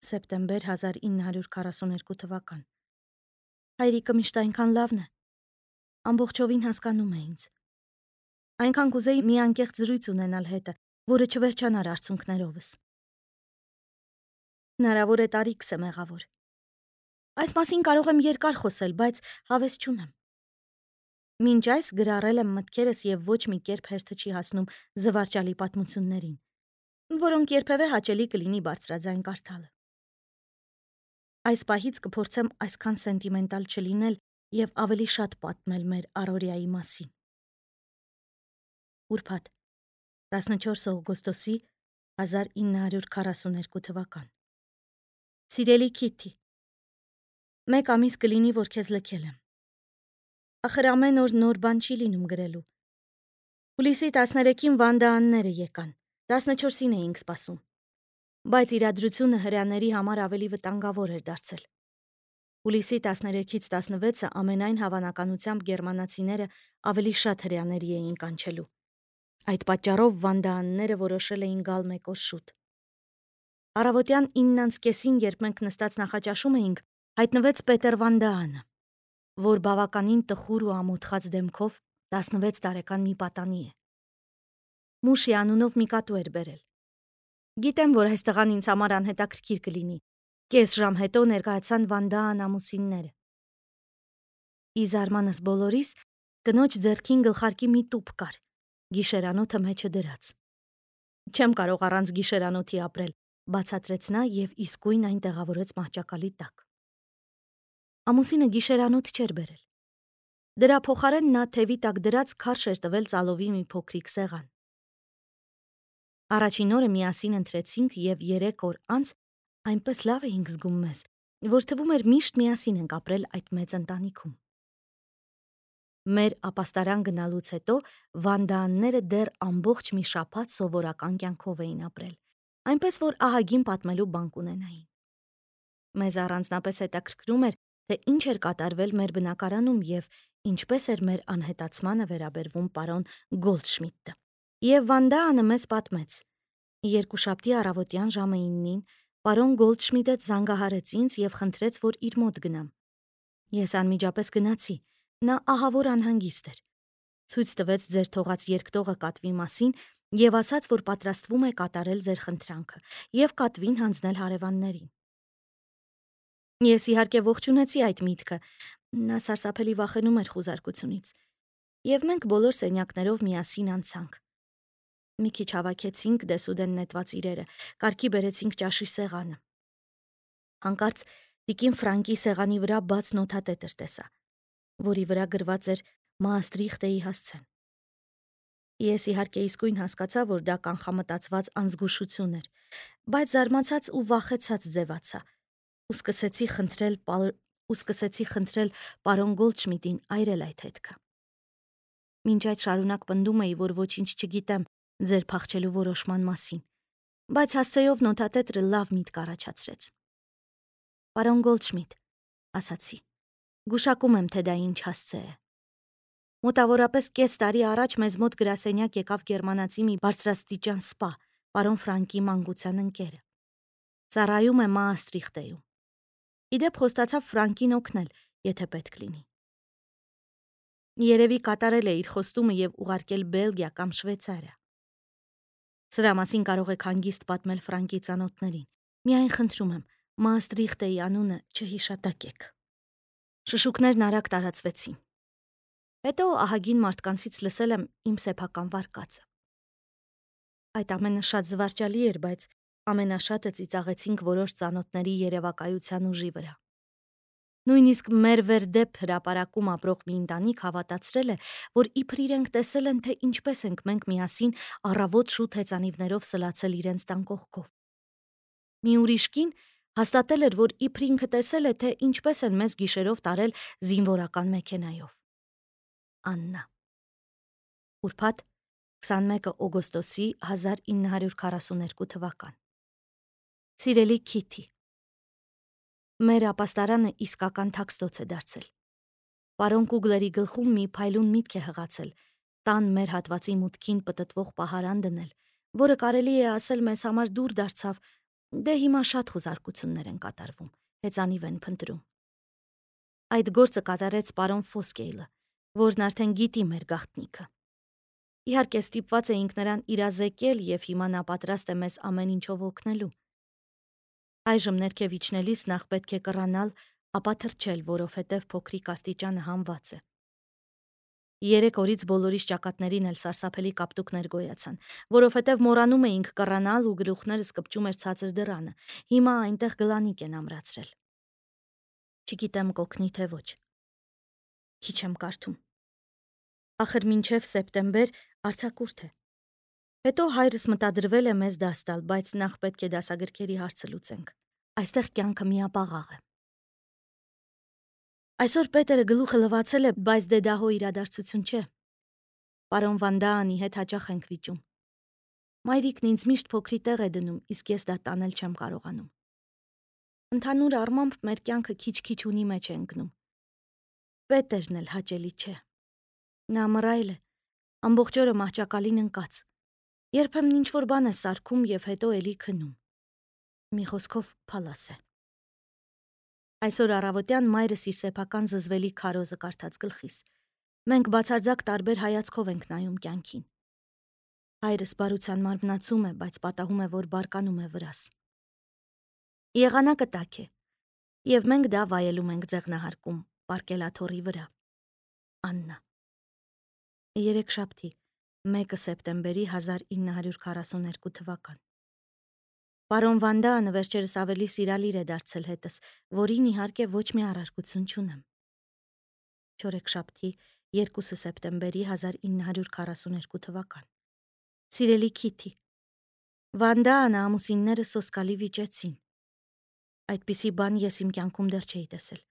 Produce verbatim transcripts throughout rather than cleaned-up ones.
սեպտեմբեր հազար ինը հարյուր քառասունութ երկու թվական։ Հայրիկը միշտ այնքան լավն է, ամբողջովին հասկանում է ինձ։ Այնքան կուզեի մի անկեղծ զրույց ունենալ հետը, որը չվերջանար արցունքներովս։ Հնարավոր է տարիքս է մեղավոր։ Այս մասին կարող եմ երկար խոսել, բայց հավես չունեմ։ Մինչ այս գրառել եմ մտքերս և ոչ մի կերպ հերթը չի հասնում զվարճալի պատմություններին, որոնք երբևէ հաճելի կլինի բարձրաձայն կարդալը։ Այս պահից կփորձեմ այսքան սենտիմենտալ չլինել և ավելի շատ պատմել մեր առօրյայի մասին։ Ուրբաթ, տասնչորս օգոստոսի հազար ինը հարյուր քառասուն երկու թվական։ Սիրելի Քիթի, մեկ ամիս կլինի, որ քեզ լքել եմ։ Ախր ամեն օր նոր բան չի լինում գրելու։ Հուլիսի տասներեքին Վանդա անները եկան, տասնչորսին էինք սպասում, բայց իրադրությունը հրեաների համար ավելի վտանգավոր էր դարձել։ Հուլիսի տասներեքից տասնվեցը ամենայն հավանականությամբ գերմանացիները ավելի շատ հրեաների էին կանչելու։ Այդ պատճառով Վանդա անները որոշել էին գալ մեկ օր շուտ։ Առավոտյան ինն անց կեսին, երբ մենք նստած նախաճաշում էինք, հայտնվեց Պետեր Վանդա անը, որ բավականին տխուր ու ամոթխած դեմքով տասնվեց տարեկան մի պատանի է։ Մուշի անունով մի կատու էր բերել։ Գիտեմ, որ այս տղան ինձ համար անհետաքրքիր կլինի։ Կես ժամ հետո ներկայացան Վանդա ան ամուսինները։ Ի զարմանս բոլորիս, կնոջ ձեռքին գլխարկի մի տուփ կար, գիշերանոթը մեջը դրած։ Չեմ կարող առանց գիշերանոթի ապրել, բացատրեց նա և իսկույն այն տեղավորեց մահճակալի տակ։ Ամուսինը գիշերանոթ չէր բերել։ Դրա փոխարեն նա թևի տակ դրած քարշ էր տվել ծալովի մի փոքրիկ սեղան։ Առաջին օրը միասին ընթրեցինք և երեք օր անց այնպես լավ էինք զգում մեզ, որ թվում էր միշտ միասին ենք ապրել այդ մեծ ընտանիքում։ Մեր ապաստարան գնալուց հետո Վանդա անները դեռ ամբողջ մի շաբաթ սովորական կյանքով էին ապրել, այնպես որ ահագին պատմելու բան կունենային։ Մեզ առանձնապես հետաքրքրում էր, թե ինչ էր կատարվել մեր բնակարանում և ինչպես էր մեր անհետացմանը վերաբերվում պարոն Գոլդշմիդտը։ Եվ Վանդա անը մեզ պատմեց. երկուշաբթի առավոտյան ժամը իննին պարոն Գոլդշմիդտը զանգահարեց ինձ և խնդրեց, որ իր մոտ գնամ։ Ես անմիջապես գնացի, նա ահավոր անհանգիստ էր։ Ցույց տվեց ձեր թողած երկտողը կատվի մասին և ասաց, որ պատրաստվում է կատարել ձեր խնդրանքը և կատվին հանձնել հարևաններին։ Ես իհարկե ողջունեցի այդ միտքը, նա սարսափելի վախենում էր խուզարկությունից, և մենք բոլոր սենյակներով միասին անցանք։ Մի քիչ հավաքեցինք դեսուդեն նետված իրերը, կարգի բերեցինք ճաշի սեղանը։ Հանկարծ տիկին Ֆրանկի սեղանի վրա բաց նոթատետր տեսա, որի վրա գրված էր Մաստրիխտեի հասցեն։ Ես իհարկե իսկույն հասկացա, որ դա կանխամտածված անզգուշություն էր, բայց զարմացած ու վախեցած ձևացա ու սկսեցի խնդրել ու սկսեցի խնդրել պարոն Գոլդշմիդտին այրել այդ հետքը։ Մինչ այդ շարունակ պնդում էի, որ ոչինչ չգիտեմ ձեր փախչելու որոշման մասին, բայց հասցեով նոթատետրը լավ միտք առաջացրեց։ Պարոն Գոլդշմիդտ, ասացի, գուշակում եմ, թե դա ինչ հասցե է։ Մոտավորապես կես տարի առաջ մեզ մոտ գրասենյակ եկավ գերմանացի մի բարձրաստիճան սպա, պարոն Ֆրանկի մանկության ընկերը։ Ծառայում է Մաստրիխտեում։ Իդեպ խոստացավ Ֆրանկին օգնել, եթե պետք լինի։ Երևի կատարել է իր խոստումը և ուղարկել Բելգիա կամ Շվեյցարիա։ Սրա մասին կարող եք հանգիստ պատմել Ֆրանկի ծանոթներին։ Միայն խնդրում եմ, Մաստրիխտեի անունը չհիշատակեք։ Շշուկներն արագ տարածվեցին։ Հետո ահագին մարդկանցից լսել եմ իմ սեփական վարկածը։ Այդ ամենը շատ զվարճալի էր, բայց ամենաշատը ծիծաղեցինք որոշ ծանոթների երևակայության ուժի վրա։ Նույնիսկ մեր վերդեպ հրապարակում ապրող մի ընտանիք հավատացրել է, որ իբր իրենք տեսել են, թե ինչպես ենք մենք միասին առավոտ շուտ հեծանիվներով սլացել իրենց տան կողքով։ Մի ուրիշ կին հաստատել էր, որ իբր ինքը տեսել է, թե ինչպես են մեզ գիշերով տարել զինվորական մեքենայով։ Աննա։ Ուրբաթ, քսանմեկը օգոստոսի հազար ինը հարյուր քառասուն երկու թվական։ Սիրելի Քիթի, մեր ապաստարանը իսկական թաքստոց է դարձել։ Պարոն Կուգլերի գլխում մի փայլուն միտք է հղացել տան մեր հատվածի մուտքին պտտվող պահարան դնել, որը կարելի է ասել մեզ համար դուր դարձավ, Դե հիմա շատ խուզարկություններ են կատարվում, հեծանիվ են փնտրում։ Այդ գործը կատարեց պարոն Ֆոսկեյլը, որն արդեն գիտի մեր գաղտնիքը։ Իհարկե ստիպված էինք նրան իրազեկել և հիմա նա պատրաստ է մեզ ամեն ինչով օգնելու։ Այժմ ներքև իջնելիս նախ պետք է կռանալ, ապա թռչել, որովհետև փոքրիկ աստիճանը հանված է։ Երեք օրից բոլորիս ճակատներին էլ սարսափելի կապտուկներ գոյացան, որովհետև մոռանում էինք կռանալ ու գլուխներս կպչում էր ցածր դռանը։ Հիմա այնտեղ գլանիկ են ամրացրել։ Չգիտեմ կօգնի թե ոչ։ Քիչ եմ կարդում։ Ախր մինչև սեպտեմբեր արձակուրդ է։ Հետո հայրս մտադրվել է մեզ դաս տալ, բայց նախ պետք է դասագրքերի հարցը լուծենք։ Այստեղ կյանքը միապաղաղ է։ Այսօր Պետերը գլուխը լվացել է, բայց դե դա հո իրադարձություն չէ։ Պարոն Վանդաանի հետ հաճախ ենք վիճում։ Մայրիկն ինձ միշտ փոքրի տեղ է դնում, իսկ ես դա տանել չեմ կարողանում։ Ընդհանուր առմամբ մեր կյանքը քիչ-քիչ ունի մեջ է ընկնում։ Պետերն էլ հաճելի չէ։ Նա մռայլ է, ամբողջ օրը մահճակալին ընկած։ Երբեմն ինչ-որ բան է սարքում և հետո էլի քնում։ Մի խոսքով փալաս է։ Այսօր առավոտյան մայրս իր սեփական զզվելի քարոզը կարդաց գլխիս։ Մենք բացարձակ տարբեր հայացքով ենք նայում կյանքին։ Հայրս բարության մարմնացում է, բայց պատահում է, որ բարկանում է վրաս։ Եղանակը տաք է, և մենք դա վայելում ենք ձեղնահարկում, պարկելաթոռի վրա։ Աննա։ Երեքշաբթի, մեկը սեպտեմբերի հազար ինը հարյուր քառասունութ թվական։ Պարոն Վանդաանը վերջերս ավելի սիրալիր է դարձել հետս, որին իհարկե ոչ մի առարկություն չունեմ։ Չորեքշաբթի, երկուսը սեպտեմբերի հազար ինը հարյուր քառասունութ թվական։ Սիրելի Քիթի, Վանդաանը ամուսինները սոսկալի վիճեցին։ Այդպիսի բան ես իմ կյանքում դեռ չէի տեսել։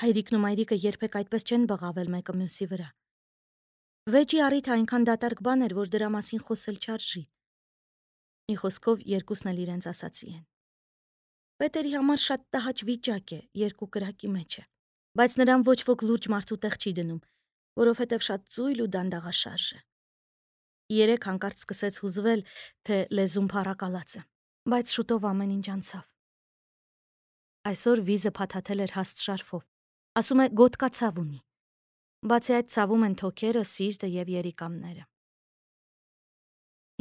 Հայրիկն ու մայրիկը երբեք այդպես չեն բղավել մեկը մյուսի վրա։ Վեճի առիթը այնքան դատարկ բան էր, որ դրա մասին խոսել չարժի։ Մի խոսքով երկուսն էլ իրենց ասացի են։ Պետերի համար շատ տհաճ վիճակ է, երկու կրակի մեջ է, բայց նրան ոչ ոք լուրջ մարդու տեղ չի դնում, որովհետև շատ ծույլ ու դանդաղաշարժ է։ Երեք հանկարծ սկսեց հուզվել, թե լեզուն փառակալած է, բայց շուտով ամեն ինչ անցավ։ Այսօր վիզը փաթաթել էր հաստ շարֆով, ասում է գոտկա ցավ ունի։ Բացի այդ ցավում են թոքերը, սիրտը և երիկամները։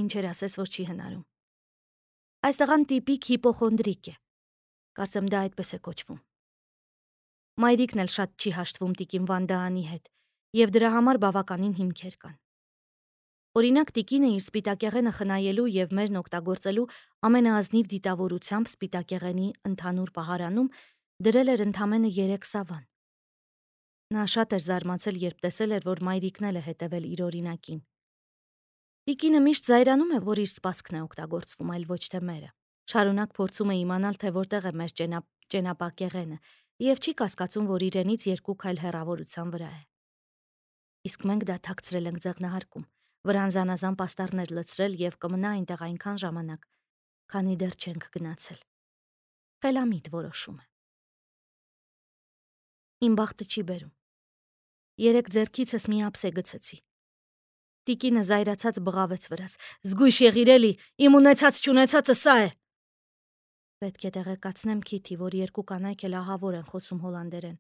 Ինչեր ասես, որ չի հնարում։ Այս տղան տիպիկ հիպոխոնդրիկ է։ Կարծեմ դա այդպես է կոչվում։ Մայրիկն էլ շատ չի հաշտվում տիկին Վանդաանի հետ, և դրա համար բավականին հիմքեր կան։ Օրինակ, տիկինը իր սպիտակեղենը խնայելու և մերն օգտագործելու ամենաազնիվ դիտավորությամբ սպիտակեղենի ընդհանուր պահարանում դրել էր ընդամենը երեք սավան։ Նա շատ էր զարմացել, երբ տեսել էր, որ մայրիկն էլ է հետևել իր օրինակին։ Տիկինը միշտ զայրանում է, որ իր սպասքն է օգտագործվում, այլ ոչ թե մերը։ Շարունակ փորձում է իմանալ, թե որտեղ է մեր ճենապակեղենը, և չի կասկածում, որ իրենից երկու քայլ հեռավորության վրա է։ Իսկ մենք դա թաքցրել ենք ձեղնահարկում, վրան զանազան պաստառներ լցրել և կմնա այնտեղ այնքան ժամանակ, քանի դեռ չենք գնացել։ Խելամիտ որոշում է։ Իմ բախտը չի բերում։ Երեք ձեռքիցս մի ափսե գցեցի։ Տիկինը զայրացած բղավեց վրաս. «Զգույշ եղիր էլի, իմ ունեցած չունեցածը սա է»։ Պետք է տեղեկացնեմ Քիթի, որ երկու կանայք էլ ահավոր են խոսում հոլանդերեն։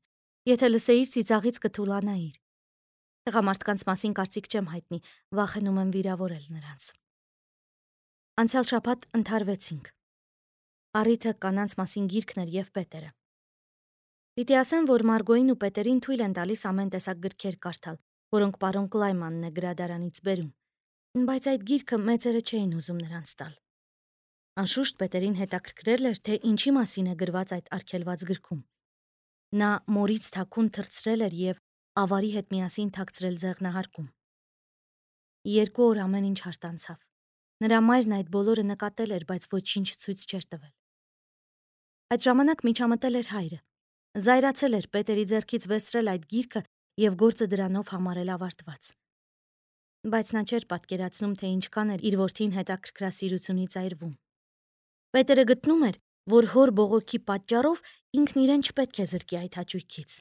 Եթե լսեիր, ծիծաղից կթուլանայիր։ Տղամարդկանց մասին կարծիք չեմ հայտնի, վախենում եմ վիրավորել նրանց։ Անցյալ շաբաթ ընդհարվեցինք։ Առիթը կանանց մասին գիրքն էր և Պետերը։ Պիտի ասեմ, որ Մարգոյին ու Պետերին թույլ են տալիս ամեն տեսակ գրքեր կարդալ, որոնք պարոն Կլայմանն է գրադարանից բերում, բայց այդ գիրքը մեծերը չէին ուզում նրանց տալ։ Անշուշտ Պետերին հետաքրքրել էր, թե ինչի մասին է գրված այդ արգելված գրքում։ Նա մորից թաքուն թռցրել էր և ավարի հետ միասին թաքցրել ձեղնահարկում։ Երկու օր ամեն ինչ հարթանցավ։ Նրա մայրն այդ բոլորը նկատել էր, բայց ոչինչ ցույց չէր տվել։ Այդ ժամանակ միջամտել էր հայրը։ Զայրացել էր Պետերի ձեռքից վերցրել այդ գիրքը և գործը դրանով համարել ավարտված։ Բայց նա չէր պատկերացնում, թե ինչքան էր իր որդին հետաքրքրասիրությունից այրվում։ Պետերը գտնում էր, որ հոր բողոքի պատճառով ինքն իրեն չպետք է զրկի այդ հաճույքից։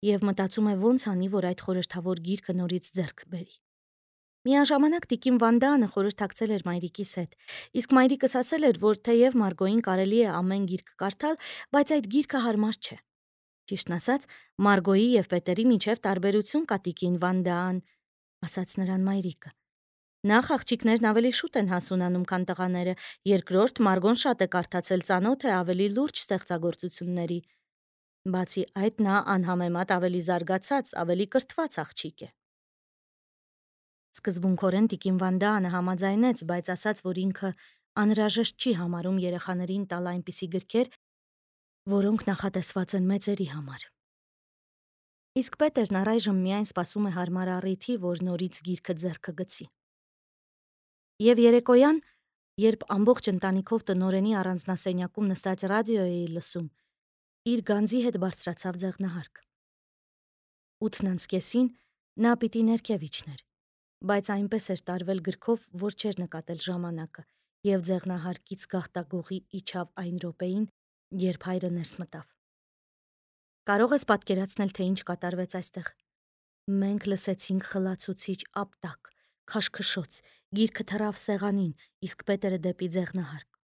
Եվ մտածում է ոնց անի, որ այդ խորհրդավոր գիրքը նորից ձեռք բերի։ Միաժամանակ տիկին Վանդանը խորհրդակցել էր մայրիկիս հետ, իսկ մայրիկս ասել էր, որ թեև Մարգոյին կարելի է ամեն գիրք կարդալ, բայց այդ գիրքը հարմար չէ։ Ճիշտն ասած, Մարգոյի եւ Պետերի միջև տարբերություն կա տիկին Վանդան, ասաց նրան մայրիկը։ Նախ աղջիկներն ավելի շուտ են հասունանում, քան տղաները, երկրորդ Մարգոն շատ է կարդացել, ծանոթ է ավելի լուրջ ստեղծագործությունների։ Բացի այդ, նա անհամեմատ ավելի զարգացած, ավելի կրթված աղջիկ է։ Սկզբունքորեն տիկին Վանդանը համաձայնեց, բայց ասաց, որ ինքը անհրաժեշտ չի համարում երեխաներին տալ այնպիսի գրքեր, որոնք նախատեսված են մեծերի համար։ Իսկ Պետերն առայժմ միայն սպասում է հարմար առիթի, որ նորից գիրքը ձեռքը գցի։ Եվ երեկոյան, երբ ամբողջ ընտանիքով տնօրենի առանձնասենյակում նստած ռադիո էի լսում, իր գանձի հետ բարձրացավ ձեղնահարկ։ Ութն անց կեսին նա պիտի ներքև իջներ, բայց այնպես էր տարվել գրքով, որ չէր նկատել ժամանակը, եւ ձեղնահարկից գաղտագողի իջավ այն րոպեին, երբ հայրը ներս մտավ։ Կարող ես պատկերացնել, թե ինչ կատարվեց այստեղ։ Մենք լսեցինք խլացուցիչ ապտակ, քաշքշոց, գիրքը թռավ սեղանին, իսկ Պետերը դեպի ձեղնահարկ։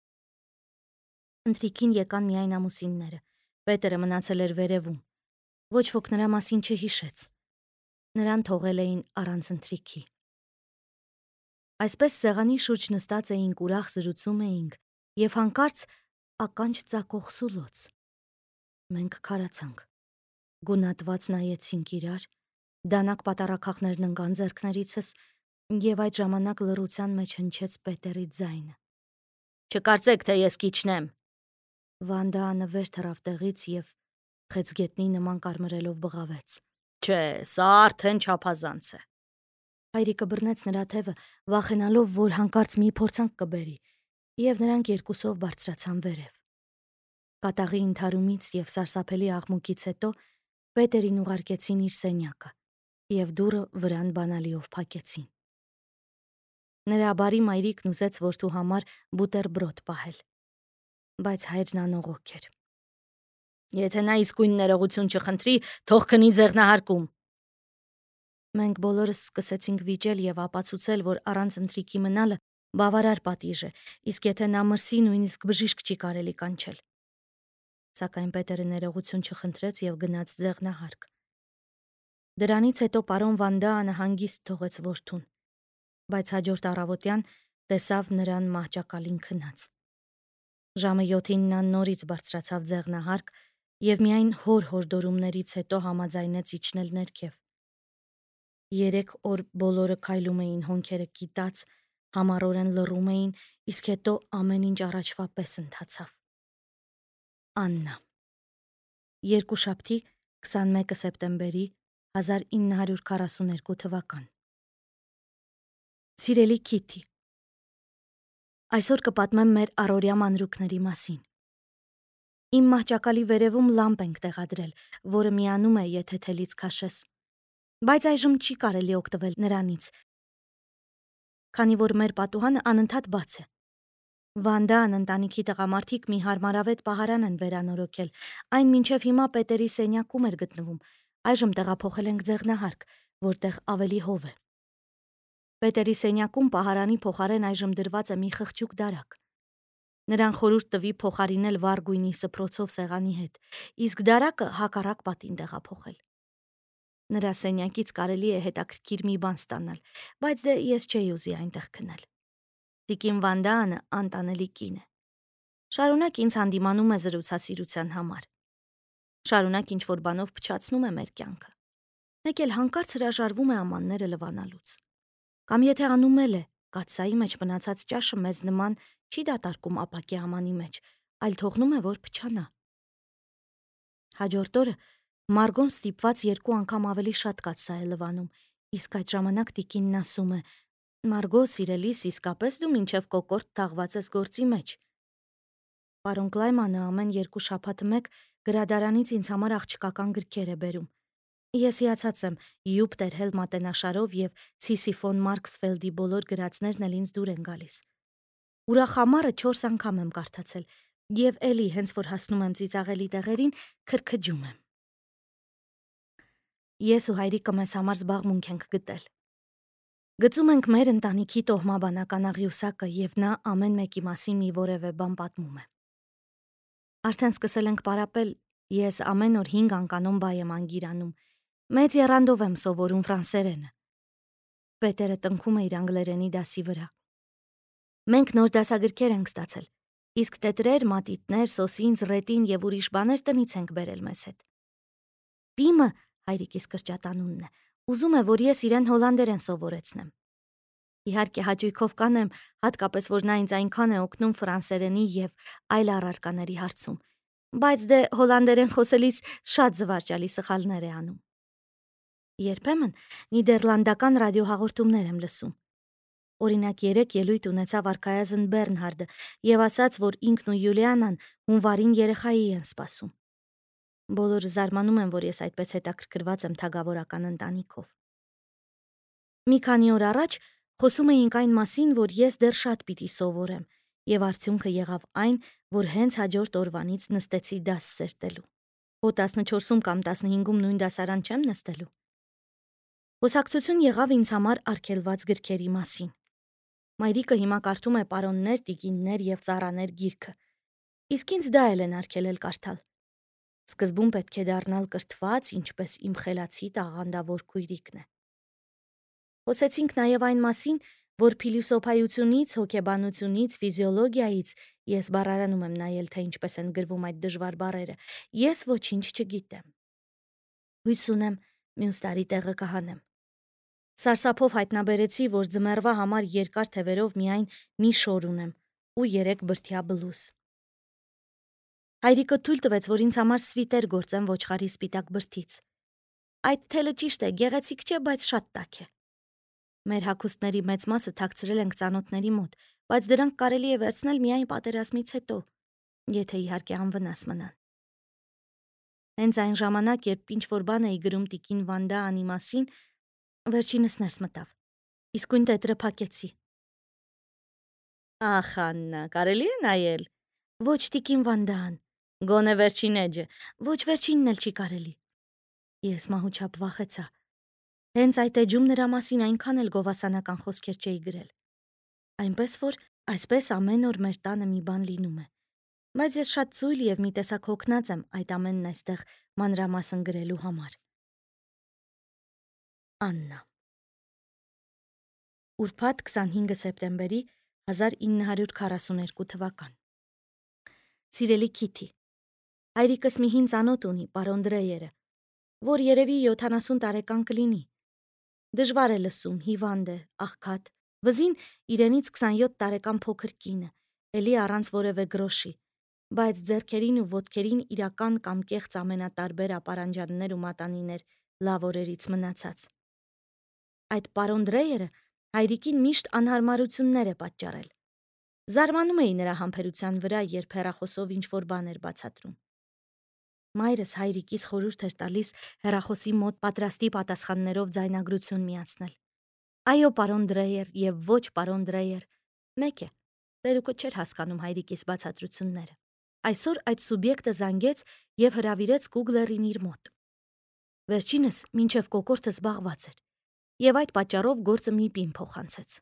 Ընթրիքին եկան միայն ամուսինները։ Պետերը մնացել էր վերևում։ Ոչ ոք նրա մասին չհիշեց։ Նրան թողել էին առանց ընթրիքի։ Այսպես սեղանի շուրջ նստած էինք, ուրախ զրուցում էինք, եւ հանկարծ ականջ ծակող սուլոց։ Մենք քարացանք։ Գունատված նայեցինք իրար, դանակ պատառաքաղներն ընկան ձեռքներիցս, եւ այդ ժամանակ լռության մեջ հնչեց Պետերի ձայնը։ Չկարծեք, թե ես կիջնեմ։ Վանդանը վեր թռավ տեղից եւ խեցգետնի նման կարմրելով բղավեց։ Չէ, սա արդեն չափազանց է։ Հայրիկը բռնեց նրա թևը, վախենալով, որ հանկարծ մի փորձանք կբերի, եւ նրանք երկուսով բարձրացան վերև։ Կատաղի ընդհարումից եւ սարսափելի աղմուկից հետո Պետերին ուղարկեցին իր սենյակը եւ դուռը վրան բանալիով փակեցին։ Նրա բարի մայրիկն ուզեց որդու համար բուտերբրոդ պահել, բայց հայրն անողոք էր։ Եթե նա իսկույն ներողություն չխնդրի, թող քնի ձեղնահարկում։ Մենք բոլորս սկսեցինք վիճել եւ ապացուցել, որ առանց ընթրիքի մնալը բավարար պատիժ է, իսկ եթե նա մրսի, նույնիսկ բժիշկ չի կարելի կանչել։ Սակայն Պետերը ներողություն չխնդրեց եւ գնաց ձեղնահարկ։ Դրանից հետո պարոն Վանդանը հանգիստ թողեց որդուն, բայց հաջորդ առավոտյան տեսավ նրան մահճակալին քնած։ Ժամը յոթին նա նորից բարձրացավ ձեղնահարկ եւ միայն հոր հորդորումներից հետո համաձայնեց իջնել ներքև։ Երեք օր բոլորը քայլում էին հոնքերը կիտած, համառորեն լռում էին, իսկ հետո ամեն ինչ առաջվա պես ընթացավ։ Աննա Երկուշաբթի քսանմեկը սեպտեմբերի հազար ինը հարյուր քառասուներկու թվական Սիրելի Քիթի, այսօր կպատմեմ մեր առօրյա մանրուքների մասին։ Իմ մահճակալի վերևում լամպ ենք տեղադրել, որը միանում է, եթե թելից քաշես, բայց այժմ չի կարելի օգտվել նրանից, քանի որ մեր պատուհանը անընդհատ բաց է։ Վանդան ընտանիքի տղամարդիկ մի հարմարավետ պահարան են վերանորոգել, այն մինչև հիմա Պետերի սենյակում էր գտնվում, այժմ տեղափոխել ենք ձեղնահարկ, որտեղ ավելի հով է։ Պետերի սենյակում պահարանի փոխարեն այժմ դրված է մի խղճուկ դարակ։ Նրան խորհուրդ տվի փոխարինել վառ գույնի սփռոցով սեղանի հետ, իսկ դարակը հակառակ պատին տեղափոխել։ Նրա սենյակից կարելի է հետաքրքիր մի բան ստանալ, բայց դե ես չէի ուզի այնտեղ քնել։ Տիկին Վանդանը անտանելի կին է։ Շարունակ ինձ հանդիմանում է զրուցասիրության համար։ Շարունակ ինչ-որ բանով փչացնում է մեր կյանքը։ Մեկ էլ հանկարծ հրաժարվում է ամանները լվանալուց։ Կամ եթե անում էլ է, կաթսայի մեջ մնացած ճաշը մեզ նման չի դատարկում ապակի ամանի մեջ, այլ թողնում է, որ փչանա։ Հաջորդ օրը Մարգոն ստիպված երկու անգամ ավելի շատ կաթսա է լվանում, իսկ այդ ժամանակ տիկինն ասում է. Մարգո, սիրելիս, իսկապես դու մինչև կոկորդ թաղված ես գործի մեջ։ Պարոն Կլայմանը ամեն երկու շաբաթը մեկ գրադարանից ինձ համար աղջկական գրքեր է բերում։ Ես հիացած եմ Յուպտեր Հել մատենաշարով եւ Ցիսիֆոն Մարքսֆելդի բոլոր գրածներն էլ ինձ դուր են գալիս։ Ուրախամարը չորս անգամ եմ կարդացել եւ էլի հենց որ հասնում եմ ծիծաղելի տեղերին, քրքջում եմ։ Ես ու հայրիկը մեզ համար զբաղմունք ենք գտել։ Գծում ենք մեր ընտանիքի տոհմաբանական աղյուսակը եւ նա ամեն մեկի մասին մի որևէ բան պատմում է։ Արդեն սկսել ենք պարապել, ես ամեն օր հինգ անկանոն բայ եմ անգիրանում, մեծ եռանդով եմ սովորում ֆրանսերենը։ Պետերը տնքում է իր անգլերենի դասի վրա։ Մենք նոր դասագրքեր ենք ստացել, իսկ տետրեր, մատիտներ, սոսինձ, ռետին եւ ուրիշ բաներ տնից ենք բերել մեզ հետ։ Պիմը, հայրիկիս կրճատանունն է, ուզում է, որ ես իրեն հոլանդերեն սովորեցնեմ։ Իհարկե հաճույքով կանեմ, հատկապես որ նա ինձ այնքան է օգնում ֆրանսերենի եւ այլ առարկաների հարցում, բայց դե հոլանդերեն խոսելիս շատ զվարճալի սխալներ է անում։ Երբեմն նիդերլանդական ռադիոհաղորդումներ եմ լսում։ Օրինակ երեք ելույթ ունեցավ արքայազն Բեռնհարդը եւ ասաց, որ ինքն ու Յուլիանան հունվարին երեխայի են սպասում։ Բոլորը զարմանում են, որ ես այդպես հետաքրքրված եմ թագավորական ընտանիքով։ Մի քանի օր առաջ խոսում էինք այն մասին, որ ես դեռ շատ պիտի սովորեմ, եւ արդյունքը եղավ այն, որ հենց հաջորդ օրվանից նստեցի դաս սերտելու։ Հո տասնչորսում կամ տասնհինգում նույն դասարան չեմ նստելու։ Խոսակցություն եղավ ինձ համար արգելված գրքերի մասին։ Մայրիկը հիմա կարդում է պարոններ, տիկիններ եւ ծառաներ գիրքը, իսկ ինձ դա էլ են արգելել կարդալ։ Սկզբում պետք է դառնալ կրթված, ինչպես իմ խելացի տաղանդավոր քույրիկն է։ Խոսեցինք նաև այն մասին, որ փիլիսոփայությունից, հոգեբանությունից, ֆիզիոլոգիայից ես բառարանում եմ նայել, թե ինչպես են գրվում այդ դժվար բառերը, ես ոչինչ չգիտեմ։ Հույս ունեմ, մյուս տարի տեղը կհանեմ։ Սարսափով հայտնաբերեցի, որ ձմեռվա համար երկար թևերով միայն մի շոր ունեմ ու երեք բրդյա բլուզ։ Հայրիկը թույլ տվեց, որ ինձ համար սվիտեր գործեմ ոչխարի սպիտակ բրդից։ Այդ թելը ճիշտ է, գեղեցիկ չէ, բայց շատ տաք է։ Մեր հագուստների մեծ մասը թաքցրել ենք ծանոթների մոտ, բայց դրանք կարելի է վերցնել միայն պատերազմից հետո, եթե իհարկե անվնաս մնան։ Հենց այն ժամանակ, երբ ինչ-որ բան էի գրում տիկին Վանդաանի մասին, վերջինս ներս մտավ, իսկույն տետրը փակեցի։ Ախ, Աննա, կարելի է նայել։ Ոչ տիկին Վանդան, գոնե վերջին էջը, ոչ վերջինն էլ չի կարելի։ Ես մահուչապ վախեցա։ Հենց այդ էջում նրա մասին այնքան էլ գովասանական խոսքեր չէի գրել։ Այնպես որ այսպես ամեն օր մեր տանը մի բան լինում է։ Բայց ես շատ ծույլ եւ մի տեսակ հոգնած եմ այդ ամենն այստեղ մանրամասն գրելու համար։ Աննա։ Ուրբաթ քսանհինգ սեպտեմբերի հազար ինը հարյուր քառասուներկու թվական։ Սիրելի Քիթի, հայրիկս մի հին ծանոթ ունի, պարոն Դրեյերը, որ երևի յոթանասուն տարեկան կլինի։ Դժվար է լսում, հիվանդ է, աղքատ, վզին իրենից քսանյոթ տարեկան փոքր կինը, էլի առանց որևէ գրոշի, բայց ձեռքերին ու ոտքերին իրական կամ կեղծ ամենատարբեր ապարանջաններ ու մատանիներ լավ օրերից մնացած։ Այդ պարոն Դրեյերը հայրիկին միշտ անհարմարություններ է պատճառել։ Զարմանում էի նրա համբերության վրա, երբ հեռախոսով ինչ-որ բան էր բացատրում։ Մայրս հայրիկիս խորհուրդ էր տալիս հեռախոսի մոտ պատրաստի պատասխաններով ձայնագրություն միացնել։ Այո, պարոն Դրեյեր եւ ոչ պարոն Դրեյեր, մեկ է, տերուկը չէր հասկանում հայրիկիս բացատրությունները։ Այսօր այդ սուբյեկտը զանգեց եւ հրավիրեց Կուգլերին իր մոտ։ Վերջինս մինչեւ կոկորդը զբաղված էր եւ այդ պատճառով գործը Միպին փոխանցեց։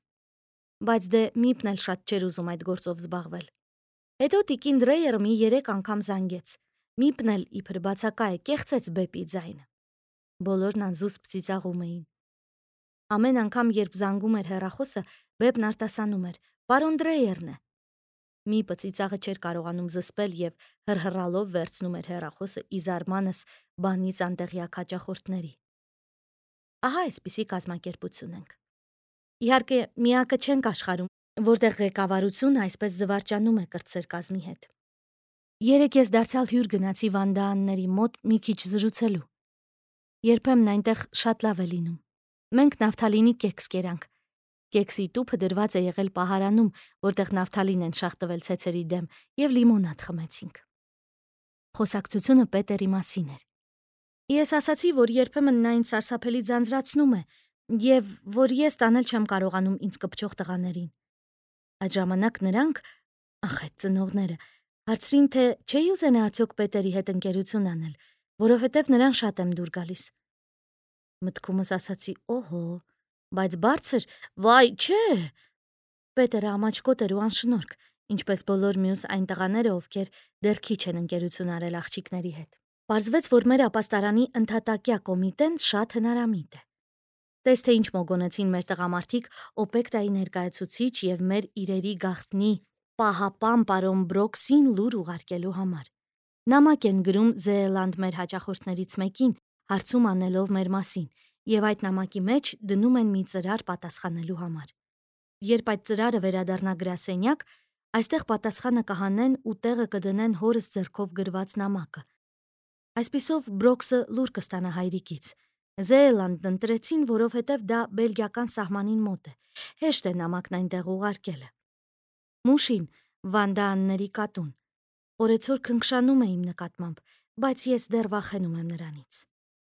Բայց դե Միպն էլ շատ չէր ուզում այդ գործով զբաղվել։ Հետո տիկին Դրեյերը մի երեք անգամ զանգեց։ Միպն էլ իբր բացակա է, կեղծեց բեպի ձայնը։ Բոլորն անզուսպ ծիծաղում էին։ Ամեն անգամ, երբ զանգում էր հեռախոսը, բեպն արտասանում էր. «Պարոն Դրեյերն է»։ Միպը ծիծաղը չէր կարողանում զսպել եւ հրհրալով վերցնում էր հեռախոսը ի զարմանս բանից անտեղյակ հաճախորդների։ Ահա այսպիսի կազմակերպություն ենք։ Իհարկե, միակը չենք աշխարհում, որտեղ ղեկավարությունը այսպես զվարճանում է կրտսեր կազմի հետ։ Երեկ ես դարձյալ հյուր գնացի Վանդաանների մոտ մի քիչ զրուցելու։ Երբեմն այնտեղ շատ լավ է լինում։ Մենք նավթալինի կեքս կերանք։ Կեքսի տուփը դրված է եղել պահարանում, որտեղ նավթալին են շաղտվել ցեցերի դեմ, եւ լիմոնադ խմեցինք։ Խոսակցությունը Պետերի մասին էր։ Ես ասացի, որ երբեմն նա ինձ սարսափելի ձանձրացնում է եւ որ ես տանել չեմ կարողանում ինձ կպչող տղաներին։ Այդ ժամանակ նրանք, ախ այդ ծնողները, հարցրին, թե չէի ուզենա արդյոք Պետերի հետ ընկերություն անել, որովհետև նրան շատ եմ դուր գալիս։ Մտքումս ասացի, օհո, Բայց բարձր, վայ, չէ։ Պետերը ամաչկոտ էր ու անշնորհք, ինչպես բոլոր մյուս այն տղաները, ովքեր դեռ քիչ են ընկերություն արել աղջիկների հետ։ Պարզվեց, որ մեր ապաստարանի ընդհատակյա կոմիտեն շատ հնարամիտ է։ Տես թե ինչ մոգոնեցին մեր տղամարդիկ օպեկտայի ներկայացուցիչ եւ մեր իրերի գաղտնի պահապան պարոն Բրոքսին լուր ուղարկելու համար։ Նամակ են գրում Զեելանդ մեր հաճախորդներից մեկին, հարցում անելով մեր մասին, եւ այդ նամակի մեջ դնում են մի ծրար պատասխանելու համար։ Երբ այդ ծրարը վերադառնա գրասենյակ, այստեղ պատասխանը կհանեն ու տեղը կդնեն հորս ձեռքով գրված նամակը։ Այսպիսով Բրոքսը լուր կստանա հայրիկից։ Զեելանդն ընտրեցին, որովհետև դա բելգիական սահմանին մոտ է։ Հեշտ է նամակն այնտեղ ուղարկելը։ Մուշին, Վանդաանների կատուն։ Օրեցօր քնքշանում է իմ նկատմամբ, բայց ես դեռ վախենում եմ նրանից։